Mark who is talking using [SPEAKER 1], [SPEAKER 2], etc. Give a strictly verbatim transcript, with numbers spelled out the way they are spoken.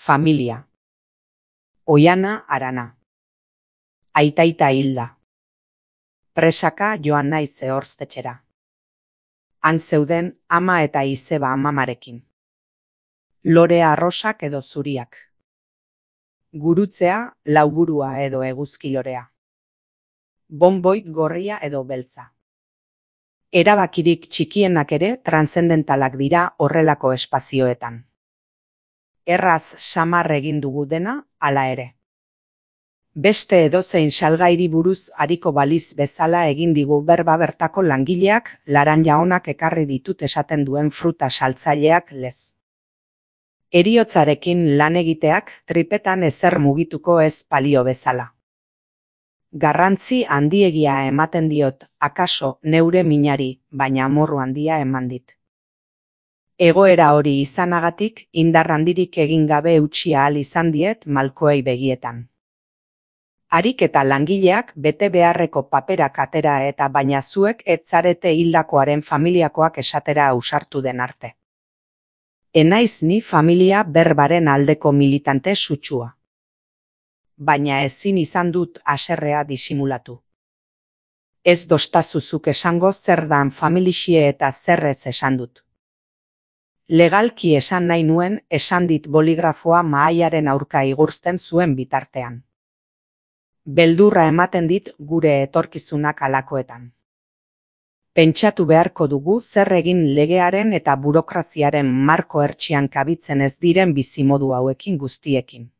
[SPEAKER 1] Familia. Oiana Arana. Aitaita hilda. Presaka joan naiz Ehorztetxera. Han zeuden ama eta izeba amamarekin. Lorea arrosak edo zuriak. Gurutzea, lauburua edo eguzkilorea. Bonboit gorria edo beltza. Erabakirik txikienak ere transzendentalak dira horrelako espazioetan. Erraz samar egin dugu dena, hala ere. Beste edozein salgairi buruz ariko baliz bezala egin digu berba bertako langileak, laranja onak ekarri ditut esaten duen fruta saltzaileak lez. Heriotzarekin lan egiteak tripetan ezer mugituko ez palio bezala. Garrantzi handiegia ematen diot, akaso neure minari, baina amorru handia eman dit. Egoera hori izanagatik, indar handirik egin gabe eutsi ahal izan diet malkoei begietan. Harik eta langileak bete beharreko paperak atera eta baina zuek ez zarete hildakoaren familiakoak esatera ausartu den arte. Enaiz ni familia berbaren aldeko militante sutsua. Baina ezin izan dut haserrea disimulatu. Ez dostazuzuk esango zer dan familixie eta zerrez esan dut. Legalki esan nahi nuen esan dit boligrafoa mahaiaren aurka igurzten zuen bitartean. Beldurra ematen dit gure etorkizunak alakoetan. Pentsatu beharko dugu zer egin legearen eta burokraziaren marko hertsian kabitzen ez diren bizimodu hauekin guztiekin.